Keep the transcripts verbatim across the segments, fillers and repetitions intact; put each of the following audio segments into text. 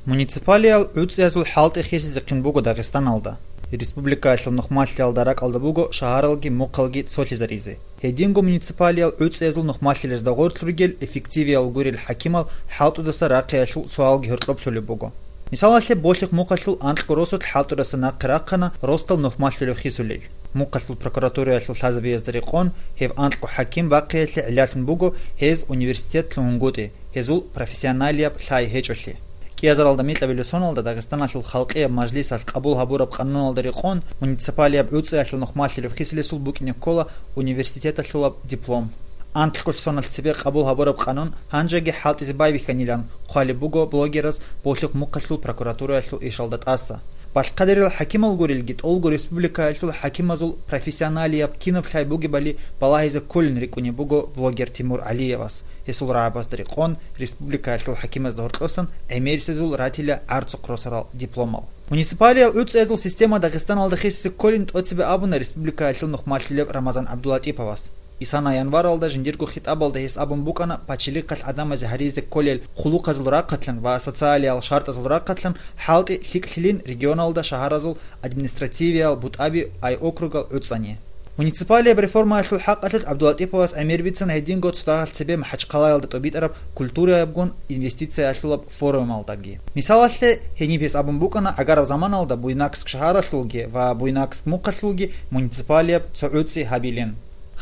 Муниципалиял гӀуцӀиязул хӀалтӀи хисизехъин буго Дагъистаналда. Республикаялъул нухмалъиялда ракӀалда буго шагьаралги мухъалги цолъизаризе. Гьединго муниципалиял гӀуцӀиязул нухмалъилезда гъорлъ ругел эффективиял гурел хӀакимал хӀалтӀудаса рахъиялъул суалги гьоркьоблъулеб буго. Мисалалъе, Болъихъ мухъалъул анкьго росулъ хӀалтӀудаса нахъе рахъана ростал нухмалъулев хисулел. Мухъалъул прокуратураялъул лъазабиязда рекъон, гьев анкьго хӀаким бахъиялъе гӀиллалъун буго гьез университетлъун гьунгутӀи, гьезул профессионалияб лъай гьечӀолъи. КӀиазаралда микьабилеб соналда Дагъистаналъул Халкъияб Мажлисалъ къабул гьабураб къануналда рекъон, муниципалияб гӀуцӀиялъул нухмалъилев хисилесул букӀине ккола университеталъулаб диплом. Анкьго соналъ цебе къабул гьабураб къанун гьанжеги хӀалтӀизе байбихьанилан хъвалеб буго блогераз Болъихъ мухъалъул прокуратураялъул ишалда тӀаса. Балъкъадерил хӀакимал гурелги, тӀолго республикаялъул хӀакимазул профессионалияб кинаб лъай бугебали балагьизе кколин рикӀкӀунеб буго блогер Тимур ГӀалиевас, гьесул рагӀабазда рекъон, республикаялъул хӀакимазда гьоркьосан гӀемерисезул ратила гӀарцухъ росарал дипломал. Муниципалиял гӀуцӀиязул система Дагъистаналда хисизе кколин тӀоцебе абуна республикаялъул нухмалъилев Рамазан ГӀабдулатӀиповас. Исана январалда жиндирго хитӀабалда гьес абун букӀана пачалихъалъ гӀадамазе гьаризе кколел хъулухъазул рахъалъан ва социалиял шартӀазул рахъалъан хӀалтӀи лъикӀлъилин регионалда шагьаразул административиял бутӀаби ай округал гӀуцӀани. Муниципалияб реформаялъул хӀакъалъулъ ГӀабдулатӀиповас гӀемер бицана гьединго цо дагьалъ цебе МахӀачхъалаялда тӀубитӀараб культураябгун инвестициялъулаб форумалдаги. Мисалалъе, гьениб гьес абун букӀана гӀагараб заманалда Буйнакск шагьаралъулги ва Буйнакск мухъалъулги муниципалияб цо гӀуцӀи гьабилин.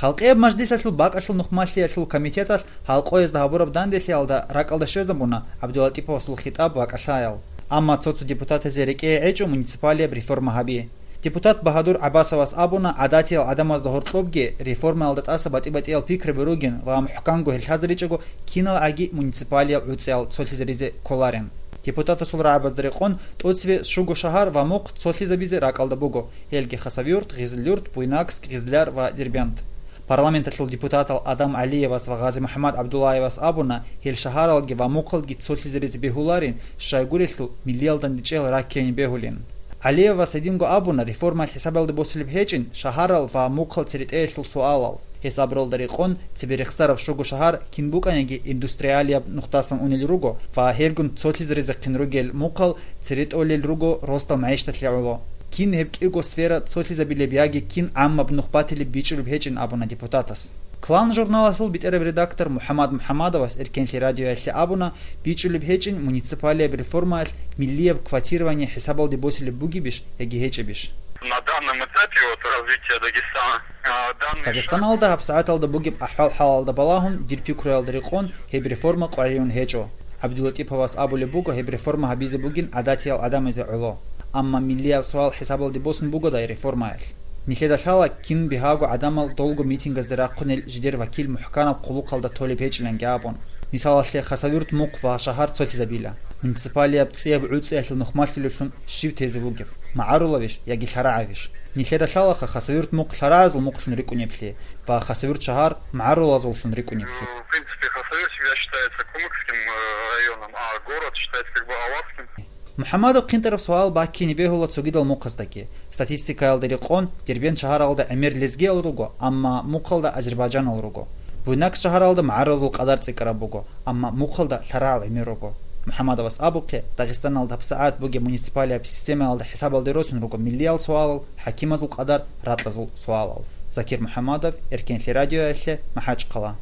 Халкъияб Мажлисалъул бакӀалъул нухмалъиялъул комитеталъ гьалкъоязда гьабураб данделъиялда ракӀалда щвезабуна ГӀабдулатӀиповасул хитӀаб ва кӀалъаял. Амма цо-цо депутатазе рекӀее гӀечӀо муниципалияб реформа гьаби. Депутат Багьадур ГӀабасовас абуна гӀадатиял гӀадамазда гьоркьобги реформаялда тӀаса батӀи-батӀиял пикраби ругин ва мухӀканго гьел лъазаричӀого киналгӀаги муниципалиял гӀуцӀиял цолъизаризе кколарин. Депутатасул рагӀабазда рекъон тӀоцебе щуго шагьар ва мухъ цолъизабизе ракӀалда буго, гьелги Хасавюрт, Гъизлюрт, Буйнакск, Гъизляр ва Дербент. Парламенталъул депутатал Адам ГӀалиевас ва Гъази-МухӀаммад ГӀабдуллаевас абуна, гьел шагьаралги ва мухъалги цолъизаризе бегьуларин, щайгурелъул миллиялда дечӀел раккине бегьулин. ГӀалиевас гьединго абуна, реформаялъ хӀисабалде босулеб гьечӀин шагьарал ва мухъал церетӀеялъул суалал. Гьес абуралда рекъон, цебе рехсараб щуго шагьар кин букӀаниги индустриалияб нухдасан унел руго ва гьелгун цолъизаризехъин ругел мухъал церетӀолел руго ростал магӀишаталъе гӀоло. Кин гьеб кӀиго сфера цолъизабилеб яги кин гӀаммаб нух батилеб бичӀчӀулеб гьечӀин абуна депутатас. Клан журналалъул бетӀерав редактор МухӀаммад МухӀаммадовас Эркенлъи радиоялъе абуна, бичӀчӀулеб гьечӀин муниципалияб реформаялъ миллияб квотирование хӀисабалде босилеб бугебищ яги гьечӀебищ. На данном этапе вот развития Дагестана, а, данный шаг Дагъистаналда гьабсагӀаталда бугеб ахӀвал-хӀалалда балагьун, дир пикруялда рекъон, гьеб реформа къвайгӀун гьечӀо. ГӀабдулатӀиповас абулеб буго, гьеб реформа гьабизе бугин гӀадатиял гӀадамазе гӀоло. Амма миллияб суал хӀисабалде босун бугодай реформаялъ? Нилъеда лъала, кин бигьаго гӀадамал долго митингазде рахъунел жидер вакил мухӀканаб хъулухъалда толеб гьечӀиланги абун. Мисалалъе, Хасавюрт мухъ ва шагьар цолъизабила. Муниципалияб цӀияб гӀуцӀиялъул нухмалъулевлъун щив тезе вугев? МагӀарулавищ яги лъарагӀавищ? Нилъеда лъалаха Хасавюрт мухъ лъарагӀазул мухълъун рикӀкӀунеблъи ва Хасавюрт шагьар магӀарулазуллъун рикӀкӀунеблъи. В принципе, Хасавюрт всегда считается кумыкским, э, районом, а город считается как бы аварским. МухӀаммадов хъинтӀараб суал баккине бегьула цогидал мухъаздаги. Статистикаялда рекъон, Дербент шагьаралда гӀемер лезгиял руго, амма мухъалда азербайджанал руго. Буйнакск шагьаралда магӀарулазул къадар цӀикӀкӀараб буго, амма мухъалда лъарагӀал гӀемер руго. МухӀаммадовас абухъе, Дагъистаналда гьабсагӀат бугеб муниципалияб системаялда хӀисабалде росун руго миллиял суалал, хӀакимазул къадар, ракьазул суалал. Закир МухӀаммадов, Эркенлъи радиоялъе, МахӀачхъала.